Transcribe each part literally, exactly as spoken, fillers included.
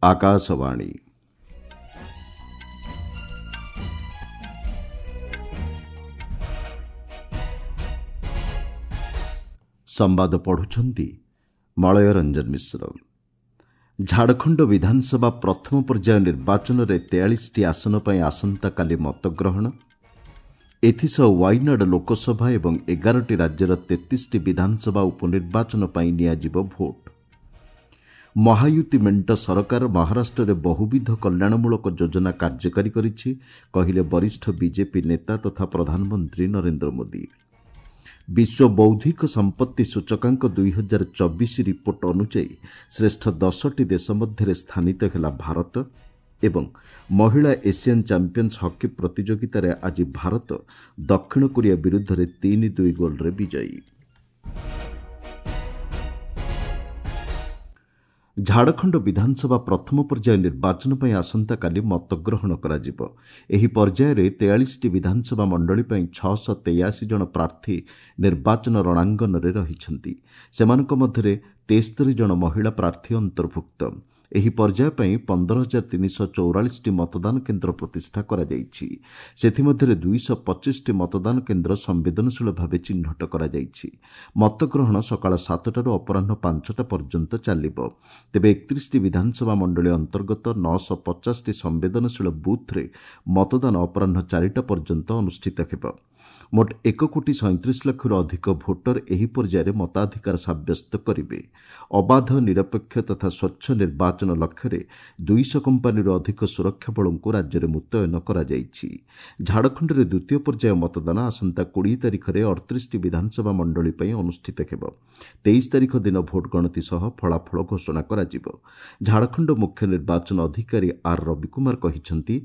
ଆକାଶବାଣୀ। ସମ୍ବାଦ ପଢ଼ୁଛନ୍ତି ମଳୟ ରଞ୍ଜନ ମିଶ୍ର। ଝାଡ଼ଖଣ୍ଡ ବିଧାନସଭା ପ୍ରଥମ ପର୍ଯ୍ୟାୟ ନିର୍ବାଚନରେ ତେୟାଳିଶଟି ଆସନ ପାଇଁ ଆସନ୍ତାକାଲି ମତଗ୍ରହଣ। ଏଥିସହ ୱାଇନାଡ୍ ଲୋକସଭା ଏବଂ ଏଗାରଟି ରାଜ୍ୟର ତେତିଶଟି ବିଧାନସଭା ଉପନିର୍ବାଚନ ପାଇଁ ନିଆଯିବ ଭୋଟ୍। ମହାୟୁତି ମେଣ୍ଟ ସରକାର ମହାରାଷ୍ଟ୍ରରେ ବହୁବିଧ କଲ୍ୟାଣମୂଳକ ଯୋଜନା କାର୍ଯ୍ୟକାରୀ କରିଛି, କହିଲେ ବରିଷ୍ଠ ବିଜେପି ନେତା ତଥା ପ୍ରଧାନମନ୍ତ୍ରୀ ନରେନ୍ଦ୍ର ମୋଦି। ବିଶ୍ୱ ବୌଦ୍ଧିକ ସମ୍ପତ୍ତି ସୂଚକାଙ୍କ ଦୁଇହଜାର ଚବିଶ ରିପୋର୍ଟ ଅନୁଯାୟୀ ଶ୍ରେଷ୍ଠ ଦଶଟି ଦେଶ ମଧ୍ୟରେ ସ୍ଥାନିତ ହେଲା ଭାରତ। ଏବଂ ମହିଳା ଏସିଆନ୍ ଚାମ୍ପିୟନ୍ସ ହକି ପ୍ରତିଯୋଗିତାରେ ଆଜି ଭାରତ ଦକ୍ଷିଣ କୋରିଆ ବିରୁଦ୍ଧରେ ତିନି ଦୁଇ ଗୋଲ୍ରେ ବିଜୟୀ। ଝାଡ଼ଖଣ୍ଡ ବିଧାନସଭା ପ୍ରଥମ ପର୍ଯ୍ୟାୟ ନିର୍ବାଚନ ପାଇଁ ଆସନ୍ତାକାଲି ମତଗ୍ରହଣ କରାଯିବ। ଏହି ପର୍ଯ୍ୟାୟରେ ତେୟାଳିଶଟି ବିଧାନସଭା ମଣ୍ଡଳୀ ପାଇଁ ଛଅଶହ ତେୟାଅଶୀ ଜଣ ପ୍ରାର୍ଥୀ ନିର୍ବାଚନ ରଣାଙ୍ଗନରେ ରହିଛନ୍ତି। ସେମାନଙ୍କ ମଧ୍ୟରେ ତେସ୍ତରୀ ଜଣ ମହିଳା ପ୍ରାର୍ଥୀ ଅନ୍ତର୍ଭୁକ୍ତ। ଏହି ପର୍ଯ୍ୟାୟ ପାଇଁ ପନ୍ଦର ହଜାର ତିନିଶହ ଚଉରାଳିଶଟି ମତଦାନ କେନ୍ଦ୍ର ପ୍ରତିଷ୍ଠା କରାଯାଇଛି। ସେଥିମଧ୍ୟରେ ଦୁଇଶହ ପଚିଶଟି ମତଦାନ କେନ୍ଦ୍ର ସମ୍ବେଦନଶୀଳ ଭାବେ ଚିହ୍ନଟ କରାଯାଇଛି। ମତଗ୍ରହଣ ସକାଳ ସାତଟାରୁ ଅପରାହ୍ନ ପାଞ୍ଚଟା ପର୍ଯ୍ୟନ୍ତ ଚାଲିବ। ତେବେ ଏକତିରିଶଟି ବିଧାନସଭା ମଣ୍ଡଳୀ ଅନ୍ତର୍ଗତ ନଅଶହ ପଚାଶଟି ସମ୍ବେଦନଶୀଳ ବୁଥ୍ରେ ମତଦାନ ଅପରାହ୍ନ ଚାରିଟା ପର୍ଯ୍ୟନ୍ତ ଅନୁଷ୍ଠିତ ହେବ। ମୋଟ ଏକ କୋଟି ସଇଁତିରିଶ ଲକ୍ଷରୁ ଅଧିକ ଭୋଟର ଏହି ପର୍ଯ୍ୟାୟରେ ମତାଧିକାର ସାବ୍ୟସ୍ତ କରିବେ। ଅବାଧ, ନିରପେକ୍ଷ ତଥା ସ୍ୱଚ୍ଛ ନିର୍ବାଚନ ଲକ୍ଷ୍ୟରେ ଦୁଇଶହ କମ୍ପାନୀରୁ ଅଧିକ ସୁରକ୍ଷା ବଳଙ୍କୁ ରାଜ୍ୟରେ ମୁତୟନ କରାଯାଇଛି। ଝାଡ଼ଖଣ୍ଡରେ ଦ୍ୱିତୀୟ ପର୍ଯ୍ୟାୟ ମତଦାନ ଆସନ୍ତା କୋଡ଼ିଏ ତାରିଖରେ ଅଠତିରିଶଟି ବିଧାନସଭା ମଣ୍ଡଳୀ ପାଇଁ ଅନୁଷ୍ଠିତ ହେବ। ତେଇଶ ତାରିଖ ଦିନ ଭୋଟ ଗଣତି ସହ ଫଳାଫଳ ଘୋଷଣା କରାଯିବ। ଝାଡ଼ଖଣ୍ଡ ମୁଖ୍ୟ ନିର୍ବାଚନ ଅଧିକାରୀ ଆର୍ ରବିକୁମାର କହିଛନ୍ତି,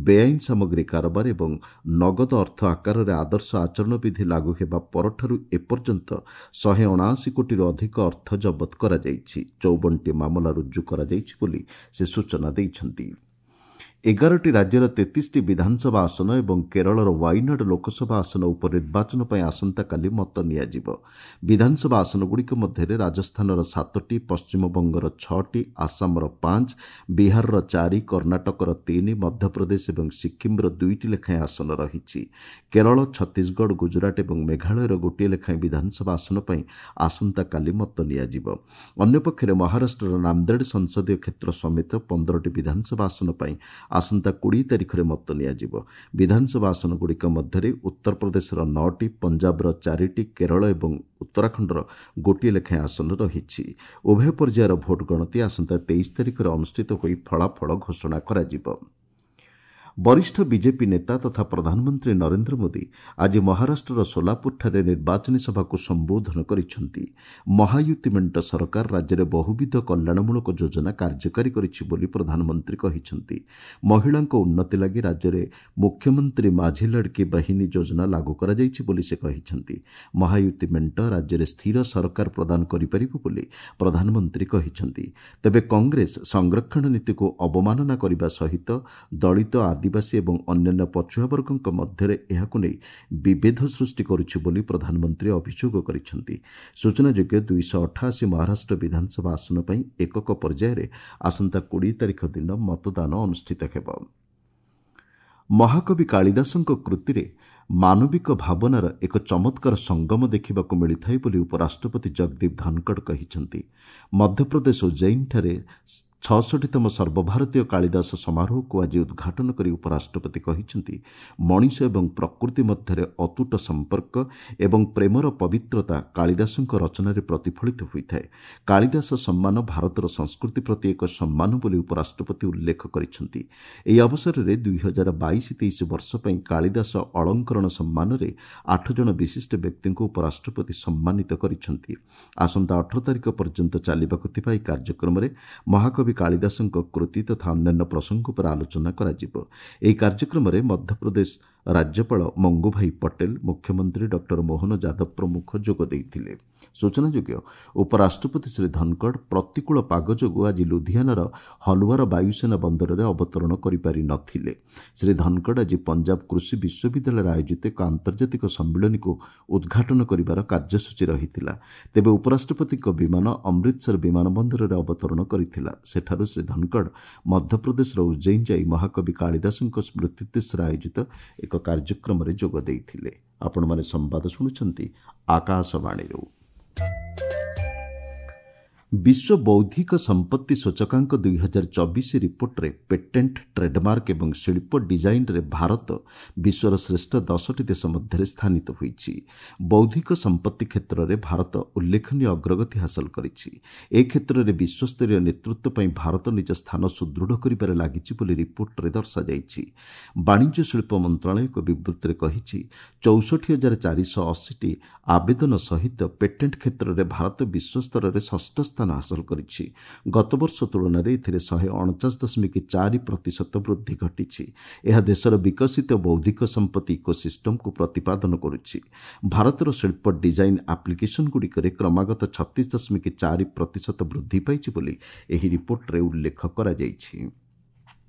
ବେଆଇନ ସାମଗ୍ରୀ କାରବାର ଏବଂ ନଗଦ ଅର୍ଥ ଆକାରରେ ଆଦର୍ଶ ଆଚରଣ ବିଧି ଲାଗୁ ହେବା ପରଠାରୁ ଏପର୍ଯ୍ୟନ୍ତ ଶହେ ଅଣାଅଶୀ କୋଟିରୁ ଅଧିକ ଅର୍ଥ ଜବତ କରାଯାଇଛି। ଚଉବନଟି ମାମଲା ରୁଜୁ କରାଯାଇଛି ବୋଲି ସେ ସୂଚନା ଦେଇଛନ୍ତି। ଏଗାରଟି ରାଜ୍ୟର ତେତିଶଟି ବିଧାନସଭା ଆସନ ଏବଂ କେରଳର ୱାଇନାଡ୍ ଲୋକସଭା ଆସନ ଉପନିର୍ବାଚନ ପାଇଁ ଆସନ୍ତାକାଲି ମତ ନିଆଯିବ। ବିଧାନସଭା ଆସନଗୁଡ଼ିକ ମଧ୍ୟରେ ରାଜସ୍ଥାନର ସାତଟି, ପଶ୍ଚିମବଙ୍ଗର ଛଅଟି, ଆସାମର ପାଞ୍ଚ, ବିହାରର ଚାରି, କର୍ଣ୍ଣାଟକର ତିନି, ମଧ୍ୟପ୍ରଦେଶ ଏବଂ ସିକ୍କିମ୍ର ଦୁଇଟି ଲେଖାଏଁ ଆସନ ରହିଛି। କେରଳ, ଛତିଶଗଡ଼, ଗୁଜରାଟ ଏବଂ ମେଘାଳୟର ଗୋଟିଏ ଲେଖାଏଁ ବିଧାନସଭା ଆସନ ପାଇଁ ଆସନ୍ତାକାଲି ମତ ନିଆଯିବ। ଅନ୍ୟପକ୍ଷରେ ମହାରାଷ୍ଟ୍ରର ନାନ୍ଦେଡ଼ ସଂସଦୀୟ କ୍ଷେତ୍ର ସମେତ ପନ୍ଦରଟି ବିଧାନସଭା ଆସନ ପାଇଁ ଆସନ୍ତା କୋଡ଼ିଏ ତାରିଖରେ ମତ ନିଆଯିବ। ବିଧାନସଭା ଆସନଗୁଡ଼ିକ ମଧ୍ୟରେ ଉତ୍ତରପ୍ରଦେଶର ନଅଟି, ପଞ୍ଜାବର ଚାରିଟି, କେରଳ ଏବଂ ଉତ୍ତରାଖଣ୍ଡର ଗୋଟିଏ ଲେଖାଏଁ ଆସନ ରହିଛି। ଉଭୟ ପର୍ଯ୍ୟାୟର ଭୋଟ ଗଣତି ଆସନ୍ତା ତେଇଶ ତାରିଖରେ ଅନୁଷ୍ଠିତ ହୋଇ ଫଳାଫଳ ଘୋଷଣା କରାଯିବ। ବରିଷ୍ଠ ବିଜେପି ନେତା ତଥା ପ୍ରଧାନମନ୍ତ୍ରୀ ନରେନ୍ଦ୍ର ମୋଦି ଆଜି ମହାରାଷ୍ଟ୍ରର ସୋଲାପୁରଠାରେ ନିର୍ବାଚନୀ ସଭାକୁ ସମ୍ବୋଧନ କରିଛନ୍ତି। ମହାୟୁତି ମେଣ୍ଟ ସରକାର ରାଜ୍ୟରେ ବହୁବିଧ କଲ୍ୟାଣମୂଳକ ଯୋଜନା କାର୍ଯ୍ୟକାରୀ କରିଛି ବୋଲି ପ୍ରଧାନମନ୍ତ୍ରୀ କହିଛନ୍ତି। ମହିଳାଙ୍କ ଉନ୍ନତି ଲାଗି ରାଜ୍ୟରେ ମୁଖ୍ୟମନ୍ତ୍ରୀ ମାଝି ଲଡ଼କି ବାହିନୀ ଯୋଜନା ଲାଗୁ କରାଯାଇଛି ବୋଲି ସେ କହିଛନ୍ତି। ମହାୟୁତି ମେଣ୍ଟ ରାଜ୍ୟରେ ସ୍ଥିର ସରକାର ପ୍ରଦାନ କରିପାରିବ ବୋଲି ପ୍ରଧାନମନ୍ତ୍ରୀ କହିଛନ୍ତି। ତେବେ କଂଗ୍ରେସ ସଂରକ୍ଷଣ ନୀତିକୁ ଅବମାନନା କରିବା ସହିତ ଦଳିତ, ଆଦିବାସୀ ଏବଂ ଅନ୍ୟାନ୍ୟ ପଛୁଆ ବର୍ଗଙ୍କ ମଧ୍ୟରେ ଏହାକୁ ନେଇ ବିଭେଦ ସୃଷ୍ଟି କରୁଛି ବୋଲି ପ୍ରଧାନମନ୍ତ୍ରୀ ଅଭିଯୋଗ କରିଛନ୍ତି। ସୂଚନାଯୋଗ୍ୟ, ଦୁଇଶହ ଅଠାଅଶୀ ମହାରାଷ୍ଟ୍ର ବିଧାନସଭା ଆସନ ପାଇଁ ଏକକ ପର୍ଯ୍ୟାୟରେ ଆସନ୍ତା କୋଡ଼ିଏ ତାରିଖ ଦିନ ମତଦାନ ଅନୁଷ୍ଠିତ ହେବ। ମହାକବି କାଳିଦାସଙ୍କ କୃତିରେ ମାନବିକ ଭାବନାର ଏକ ଚମତ୍କାର ସଙ୍ଗମ ଦେଖିବାକୁ ମିଳିଥାଏ ବୋଲି ଉପରାଷ୍ଟ୍ରପତି ଜଗଦୀପ ଧନଖଡ଼ କହିଛନ୍ତି। ମଧ୍ୟପ୍ରଦେଶ ଉଜ୍ଜୈନଠାରେ ଛଅଷଠିତମ ସର୍ବଭାରତୀୟ କାଳିଦାସ ସମାରୋହକୁ ଆଜି ଉଦ୍ଘାଟନ କରି ଉପରାଷ୍ଟ୍ରପତି କହିଛନ୍ତି, ମଣିଷ ଏବଂ ପ୍ରକୃତି ମଧ୍ୟରେ ଅତୁଟ ସମ୍ପର୍କ ଏବଂ ପ୍ରେମର ପବିତ୍ରତା କାଳିଦାସଙ୍କ ରଚନାରେ ପ୍ରତିଫଳିତ ହୋଇଥାଏ। କାଳିଦାସ ସମ୍ମାନ ଭାରତର ସଂସ୍କୃତି ପ୍ରତି ଏକ ସମ୍ମାନ ବୋଲି ଉପରାଷ୍ଟ୍ରପତି ଉଲ୍ଲେଖ କରିଛନ୍ତି। ଏହି ଅବସରରେ ଦୁଇ ହଜାର ବାଇଶ ତେଇଶ ବର୍ଷ ପାଇଁ କାଳିଦାସ ଅଳଙ୍କରଣ ସମ୍ମାନରେ ଆଠ ଜଣ ବିଶିଷ୍ଟ ବ୍ୟକ୍ତିଙ୍କୁ ଉପରାଷ୍ଟ୍ରପତି ସମ୍ମାନିତ କରିଛନ୍ତି। ଆସନ୍ତା ଅଠର ତାରିଖ ପର୍ଯ୍ୟନ୍ତ ଚାଲିବାକୁ ଥିବା ଏହି କାର୍ଯ୍ୟକ୍ରମରେ ମହାକବି କାଳିଦାସଙ୍କ କୃତି ତଥା ଅନ୍ୟାନ୍ୟ ପ୍ରସଙ୍ଗ ଉପରେ ଆଲୋଚନା କରାଯିବ। ଏହି କାର୍ଯ୍ୟକ୍ରମରେ ମଧ୍ୟପ୍ରଦେଶ ରାଜ୍ୟପାଳ ମଙ୍ଗୁଭାଇ ପଟେଲ, ମୁଖ୍ୟମନ୍ତ୍ରୀ ଡକ୍ଟର ମୋହନ ଯାଦବ ପ୍ରମୁଖ ଯୋଗ ଦେଇଥିଲେ। ସୂଚନାଯୋଗ୍ୟ, ଉପରାଷ୍ଟ୍ରପତି ଶ୍ରୀ ଧନଖଡ଼ ପ୍ରତିକୂଳ ପାଗ ଯୋଗୁଁ ଆଜି ଲୁଧିଆନାର ହଲୱାର ବାୟୁସେନା ବନ୍ଦରରେ ଅବତରଣ କରିପାରି ନ ଥିଲେ। ଶ୍ରୀ ଧନଖଡ଼ ଆଜି ପଞ୍ଜାବ କୃଷି ବିଶ୍ୱବିଦ୍ୟାଳୟରେ ଆୟୋଜିତ ଏକ ଆନ୍ତର୍ଜାତିକ ସମ୍ମିଳନୀକୁ ଉଦ୍ଘାଟନ କରିବାର କାର୍ଯ୍ୟସୂଚୀ ରହିଥିଲା। ତେବେ ଉପରାଷ୍ଟ୍ରପତିଙ୍କ ବିମାନ ଅମୃତସର ବିମାନ ବନ୍ଦରରେ ଅବତରଣ କରିଥିଲା। ସେଠାରୁ ଶ୍ରୀ ଧନଖଡ଼ ମଧ୍ୟପ୍ରଦେଶର ଉଜ୍ଜୈନ ଯାଇ ମହାକବି କାଳିଦାସଙ୍କ ସ୍ମୃତିଉଦ୍ଦେଶ୍ୟରେ ଆୟୋଜିତ ଏକ କାର୍ଯ୍ୟକ୍ରମରେ ଯୋଗ ଦେଇଥିଲେ। ଆପଣମାନେ ସମ୍ବାଦ ଶୁଣୁଛନ୍ତି ଆକାଶବାଣୀରୁ। ବିଶ୍ୱ ବୌଦ୍ଧିକ ସମ୍ପତ୍ତି ସୂଚକାଙ୍କ ଦୁଇ ହଜାର ଚବିଶ ରିପୋର୍ଟରେ ପେଟେଣ୍ଟ, ଟ୍ରେଡମାର୍କ ଏବଂ ଶିଳ୍ପ ଡିଜାଇନରେ ଭାରତ ବିଶ୍ୱର ଶ୍ରେଷ୍ଠ ଦଶଟି ଦେଶ ମଧ୍ୟରେ ସ୍ଥାନିତ ହୋଇଛି। ବୌଦ୍ଧିକ ସମ୍ପତ୍ତି କ୍ଷେତ୍ରରେ ଭାରତ ଉଲ୍ଲେଖନୀୟ ଅଗ୍ରଗତି ହାସଲ କରିଛି। ଏ କ୍ଷେତ୍ରରେ ବିଶ୍ୱସ୍ତରୀୟ ନେତୃତ୍ୱ ପାଇଁ ଭାରତ ନିଜ ସ୍ଥାନ ସୁଦୃଢ଼ କରିବାରେ ଲାଗିଛି ବୋଲି ରିପୋର୍ଟରେ ଦର୍ଶାଯାଇଛି। ବାଣିଜ୍ୟ ଶିଳ୍ପ ମନ୍ତ୍ରଣାଳୟ ଏକ ବିବୃତ୍ତିରେ କହିଛି, ଚଉଷଠି ହଜାର ଚାରିଶହ ଅଶୀଟି ଆବେଦନ ସହିତ ପେଟେଣ୍ଟ କ୍ଷେତ୍ରରେ ଭାରତ ବିଶ୍ୱସ୍ତରରେ ଷଷ୍ଠ ସ୍ଥାନ ହାସଲ କରିଛି। ଗତବର୍ଷ ତୁଳନାରେ ଏଥିରେ ଶହେ ଅଣଚାଶ ଦଶମିକ ଚାରି ପ୍ରତିଶତ ବୃଦ୍ଧି ଘଟିଛି। ଏହା ଦେଶର ବିକଶିତ ବୌଦ୍ଧିକ ସମ୍ପତ୍ତି ଇକୋସିଷ୍ଟମକୁ ପ୍ରତିପାଦନ କରୁଛି। ଭାରତର ଶିଳ୍ପ ଡିଜାଇନ୍ ଆପ୍ଲିକେସନଗୁଡ଼ିକରେ କ୍ରମାଗତ ଛତିଶ ଦଶମିକ ଚାରି ପ୍ରତିଶତ ବୃଦ୍ଧି ପାଇଛି ବୋଲି ଏହି ରିପୋର୍ଟରେ ଉଲ୍ଲେଖ କରାଯାଇଛି।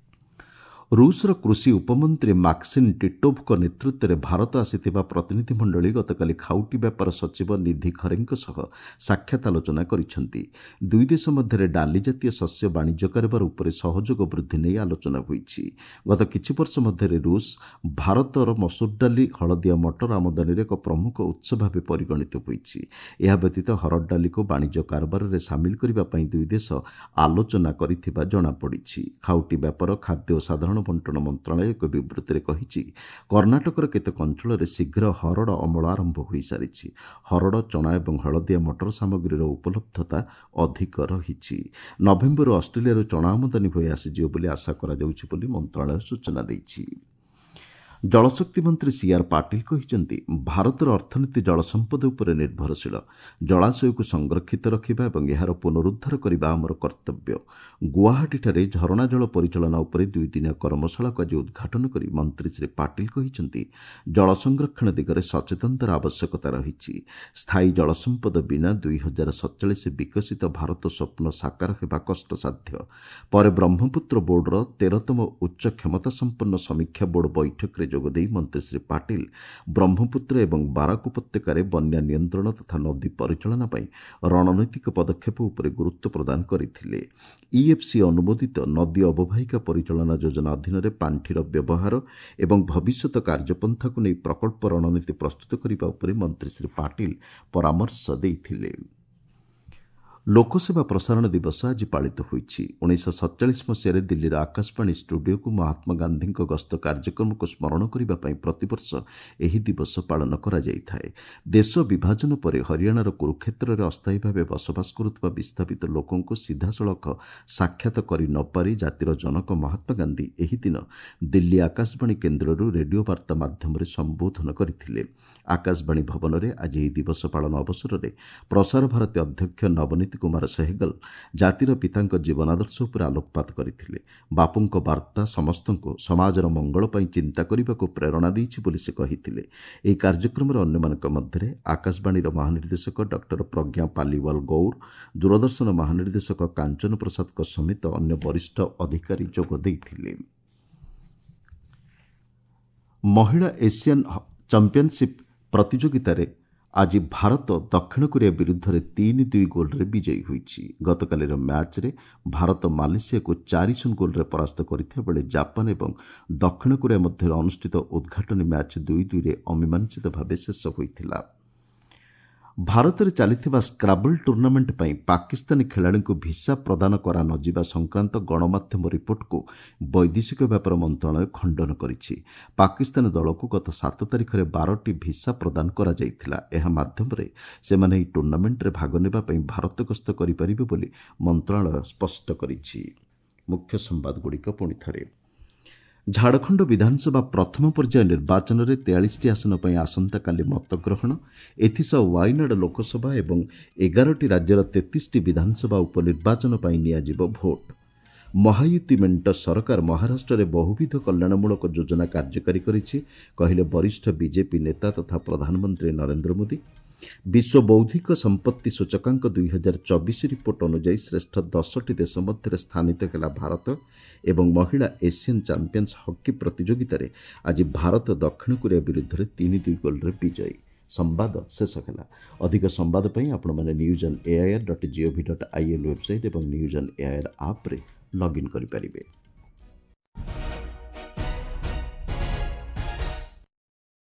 ରୁଷର କୃଷି ଉପମନ୍ତ୍ରୀ ମାକ୍ସିନ୍ ଟିଟୋଭଙ୍କ ନେତୃତ୍ୱରେ ଭାରତ ଆସିଥିବା ପ୍ରତିନିଧିମଣ୍ଡଳୀ ଗତକାଲି ଖାଉଟି ବ୍ୟାପାର ସଚିବ ନିଧି ଖରେଙ୍କ ସହ ସାକ୍ଷାତ ଆଲୋଚନା କରିଛନ୍ତି। ଦୁଇ ଦେଶ ମଧ୍ୟରେ ଡାଲି ଜାତୀୟ ଶସ୍ୟ ବାଣିଜ୍ୟ କାରବାର ଉପରେ ସହଯୋଗ ବୃଦ୍ଧି ନେଇ ଆଲୋଚନା ହୋଇଛି। ଗତ କିଛି ବର୍ଷ ମଧ୍ୟରେ ରୁଷ ଭାରତର ମସୁର ଡାଲି, ହଳଦିଆ ମଟର ଆମଦାନୀରେ ଏକ ପ୍ରମୁଖ ଉତ୍ସ ଭାବେ ପରିଗଣିତ ହୋଇଛି। ଏହା ବ୍ୟତୀତ ହରଡ଼ ଡାଲିକୁ ବାଣିଜ୍ୟ କାରବାରରେ ସାମିଲ କରିବା ପାଇଁ ଦୁଇ ଦେଶ ଆଲୋଚନା କରିଥିବା ଜଣାପଡ଼ିଛି। ଖାଉଟି ବ୍ୟାପାର, ଖାଦ୍ୟ ଓ ସାଧାରଣ ବଣ୍ଟନ ମନ୍ତ୍ରଣାଳୟ ଏକ ବିବୃତ୍ତିରେ କହିଛି, କର୍ଣ୍ଣାଟକର କେତେକ ଅଞ୍ଚଳରେ ଶୀଘ୍ର ହରଡ଼ ଅମଳ ଆରମ୍ଭ ହୋଇସାରିଛି। ହରଡ଼, ଚଣା ଏବଂ ହଳଦିଆ ମଟର ସାମଗ୍ରୀର ଉପଲବ୍ଧତା ଅଧିକ ରହିଛି। ନଭେମ୍ବରରୁ ଅଷ୍ଟ୍ରେଲିଆରୁ ଚଣା ଆମଦାନୀ ହୋଇ ଆସିଯିବ ବୋଲି ଆଶା କରାଯାଉଛି ବୋଲି ମନ୍ତ୍ରଣାଳୟ ସୂଚନା ଦେଇଛି। ଜଳଶକ୍ତି ମନ୍ତ୍ରୀ ସି ଆର୍ ପାଟିଲ କହିଛନ୍ତି, ଭାରତର ଅର୍ଥନୀତି ଜଳସମ୍ପଦ ଉପରେ ନିର୍ଭରଶୀଳ। ଜଳାଶୟକୁ ସଂରକ୍ଷିତ ରଖିବା ଏବଂ ଏହାର ପୁନରୁଦ୍ଧାର କରିବା ଆମର କର୍ତ୍ତବ୍ୟ। ଗୁଆହାଟୀଠାରେ ଝରଣା ଜଳ ପରିଚାଳନା ଉପରେ ଦୁଇଦିନିଆ କର୍ମଶାଳାକୁ ଆଜି ଉଦ୍ଘାଟନ କରି ମନ୍ତ୍ରୀ ଶ୍ରୀ ପାଟିଲ କହିଛନ୍ତି, ଜଳ ସଂରକ୍ଷଣ ଦିଗରେ ସଚେତନତାର ଆବଶ୍ୟକତା ରହିଛି। ସ୍ଥାୟୀ ଜଳସମ୍ପଦ ବିନା ଦୁଇ ହଜାର ସତଚାଳିଶ ବିକଶିତ ଭାରତ ସ୍ୱପ୍ନ ସାକାର ହେବା କଷ୍ଟସାଧ୍ୟ। ପରେ ବ୍ରହ୍ମପୁତ୍ର ବୋର୍ଡର ତେରତମ ଉଚ୍ଚ କ୍ଷମତା ସମ୍ପନ୍ନ ସମୀକ୍ଷା ବୋର୍ଡ ବୈଠକରେ ଯୋଗଦେଇ ମନ୍ତ୍ରୀ ଶ୍ରୀ ପାଟିଲ ବ୍ରହ୍ମପୁତ୍ର ଏବଂ ବାରାକ ଉପତ୍ୟକାରେ ବନ୍ୟା ନିୟନ୍ତ୍ରଣ ତଥା ନଦୀ ପରିଚାଳନା ପାଇଁ ରଣନୈତିକ ପଦକ୍ଷେପ ଉପରେ ଗୁରୁତ୍ୱ ପ୍ରଦାନ କରିଥିଲେ। ଇଏଫ୍ସି ଅନୁମୋଦିତ ନଦୀ ଅବବାହିକା ପରିଚାଳନା ଯୋଜନା ଅଧୀନରେ ପାଣ୍ଠିର ବ୍ୟବହାର ଏବଂ ଭବିଷ୍ୟତ କାର୍ଯ୍ୟପନ୍ଥାକୁ ନେଇ ପ୍ରକଳ୍ପ ରଣନୀତି ପ୍ରସ୍ତୁତ କରିବା ଉପରେ ମନ୍ତ୍ରୀ ଶ୍ରୀ ପାଟିଲ ପରାମର୍ଶ ଦେଇଥିଲେ। ଲୋକସେବା ପ୍ରସାରଣ ଦିବସ ଆଜି ପାଳିତ ହୋଇଛି। ଉଣେଇଶହ ସତଚାଳିଶ ମସିହାରେ ଦିଲ୍ଲୀର ଆକାଶବାଣୀ ଷ୍ଟୁଡିଓକୁ ମହାତ୍ମା ଗାନ୍ଧୀଙ୍କ ଗସ୍ତ କାର୍ଯ୍ୟକ୍ରମକୁ ସ୍ମରଣ କରିବା ପାଇଁ ପ୍ରତିବର୍ଷ ଏହି ଦିବସ ପାଳନ କରାଯାଇଥାଏ। ଦେଶ ବିଭାଜନ ପରେ ହରିୟାଣାର କୁରୁକ୍ଷେତ୍ରରେ ଅସ୍ଥାୟୀ ଭାବେ ବସବାସ କରୁଥିବା ବିସ୍ଥାପିତ ଲୋକଙ୍କୁ ସିଧାସଳଖ ସାକ୍ଷାତ କରି ନପାରି ଜାତିର ଜନକ ମହାତ୍ମା ଗାନ୍ଧୀ ଏହି ଦିନ ଦିଲ୍ଲୀ ଆକାଶବାଣୀ କେନ୍ଦ୍ରରୁ ରେଡିଓ ବାର୍ତ୍ତା ମାଧ୍ୟମରେ ସମ୍ବୋଧନ କରିଥିଲେ। ଆକାଶବାଣୀ ଭବନରେ ଆଜି ଏହି ଦିବସ ପାଳନ ଅବସରରେ ପ୍ରସାର ଭାରତୀ ଅଧ୍ୟକ୍ଷ ନବନୀତ କୁମାର ସେହଗଲ ଜାତିର ପିତାଙ୍କ ଜୀବନାଦର୍ଶ ଉପରେ ଆଲୋକପାତ କରିଥିଲେ। ବାପୁଙ୍କ ବାର୍ତ୍ତା ସମସ୍ତଙ୍କୁ ସମାଜର ମଙ୍ଗଳ ପାଇଁ ଚିନ୍ତା କରିବାକୁ ପ୍ରେରଣା ଦେଇଛି ବୋଲି ସେ କହିଥିଲେ। ଏହି କାର୍ଯ୍ୟକ୍ରମରେ ଅନ୍ୟମାନଙ୍କ ମଧ୍ୟରେ ଆକାଶବାଣୀର ମହାନିର୍ଦ୍ଦେଶକ ଡକ୍ଟର ପ୍ରଜ୍ଞା ପାଲିୱାଲ ଗୌର, ଦୂରଦର୍ଶନ ମହାନିର୍ଦ୍ଦେଶକ କାଞ୍ଚନ ପ୍ରସାଦଙ୍କ ସମେତ ଅନ୍ୟ ବରିଷ୍ଠ ଅଧିକାରୀ ଯୋଗ ଦେଇଥିଲେ। ମହିଳା ଏସିଆନ୍ ଚାମ୍ପିୟନସିପ୍ ପ୍ରତିଯୋଗିତାରେ ଆଜି ଭାରତ ଦକ୍ଷିଣ କୋରିଆ ବିରୁଦ୍ଧରେ ତିନି ଦୁଇ ଗୋଲ୍ରେ ବିଜୟୀ ହୋଇଛି। ଗତକାଲିର ମ୍ୟାଚ୍ରେ ଭାରତ ମାଲେସିଆକୁ ଚାରି ଶୂନ ଗୋଲ୍ରେ ପରାସ୍ତ କରିଥିବା ବେଳେ ଜାପାନ ଏବଂ ଦକ୍ଷିଣ କୋରିଆ ମଧ୍ୟରେ ଅନୁଷ୍ଠିତ ଉଦ୍ଘାଟନୀ ମ୍ୟାଚ୍ ଦୁଇ ଦୁଇରେ ଅମୀମାଂସିତ ଭାବେ ଶେଷ ହୋଇଥିଲା। ଭାରତରେ ଚାଲିଥିବା ସ୍କ୍ରାବଲ୍ ଟୁର୍ଣ୍ଣାମେଣ୍ଟ ପାଇଁ ପାକିସ୍ତାନୀ ଖେଳାଳିଙ୍କୁ ଭିସା ପ୍ରଦାନ କରାନଯିବା ସଂକ୍ରାନ୍ତ ଗଣମାଧ୍ୟମ ରିପୋର୍ଟକୁ ବୈଦେଶିକ ବ୍ୟାପାର ମନ୍ତ୍ରଣାଳୟ ଖଣ୍ଡନ କରିଛି। ପାକିସ୍ତାନ ଦଳକୁ ଗତ ସାତ ତାରିଖରେ ବାରଟି ଭିସା ପ୍ରଦାନ କରାଯାଇଥିଲା। ଏହା ମାଧ୍ୟମରେ ସେମାନେ ଏହି ଟୁର୍ଣ୍ଣାମେଣ୍ଟରେ ଭାଗ ନେବା ପାଇଁ ଭାରତ ଗସ୍ତ କରିପାରିବେ ବୋଲି ମନ୍ତ୍ରଣାଳୟ ସ୍ପଷ୍ଟ କରିଛି। ମୁଖ୍ୟ ସମ୍ବାଦଗୁଡ଼ିକ ପୁଣି ଥରେ। ଝାଡ଼ଖଣ୍ଡ ବିଧାନସଭା ପ୍ରଥମ ପର୍ଯ୍ୟାୟ ନିର୍ବାଚନରେ ତେୟାଳିଶଟି ଆସନ ପାଇଁ ଆସନ୍ତାକାଲି ମତଗ୍ରହଣ। ଏଥିସହ ୱାଇନାଡ଼ ଲୋକସଭା ଏବଂ ଏଗାରଟି ରାଜ୍ୟର ତେତିଶଟି ବିଧାନସଭା ଉପନିର୍ବାଚନ ପାଇଁ ନିଆଯିବ ଭୋଟ୍। ମହାୟୁତି ମେଣ୍ଟ ସରକାର ମହାରାଷ୍ଟ୍ରରେ ବହୁବିଧ କଲ୍ୟାଣମୂଳକ ଯୋଜନା କାର୍ଯ୍ୟକାରୀ କରିଛି, କହିଲେ ବରିଷ୍ଠ ବିଜେପି ନେତା ତଥା ପ୍ରଧାନମନ୍ତ୍ରୀ ନରେନ୍ଦ୍ର ମୋଦି। ବିଶ୍ୱ ବୌଦ୍ଧିକ ସମ୍ପତ୍ତି ସୂଚକାଙ୍କ ଦୁଇହଜାର ଚବିଶ ରିପୋର୍ଟ ଅନୁଯାୟୀ ଶ୍ରେଷ୍ଠ ଦଶଟି ଦେଶ ମଧ୍ୟରେ ସ୍ଥାନିତ ହେଲା ଭାରତ। ଏବଂ ମହିଳା ଏସିଆନ୍ ଚାମ୍ପିୟନ୍ସ ହକି ପ୍ରତିଯୋଗିତାରେ ଆଜି ଭାରତ ଦକ୍ଷିଣ କୋରିଆ ବିରୁଦ୍ଧରେ ତିନି ଦୁଇ ଗୋଲ୍ରେ ବିଜୟୀ। ସମ୍ବାଦ ଶେଷ ହେଲା। ଅଧିକ ସମ୍ବାଦ ପାଇଁ ଆପଣମାନେ news on AIR dot GOV dot IN website ଏବଂ ନ୍ୟୁଜ୍ ଅନ୍ ଏଆଇଆର୍ ଆପ୍ରେ ଲଗ୍ଇନ୍ କରିପାରିବେ।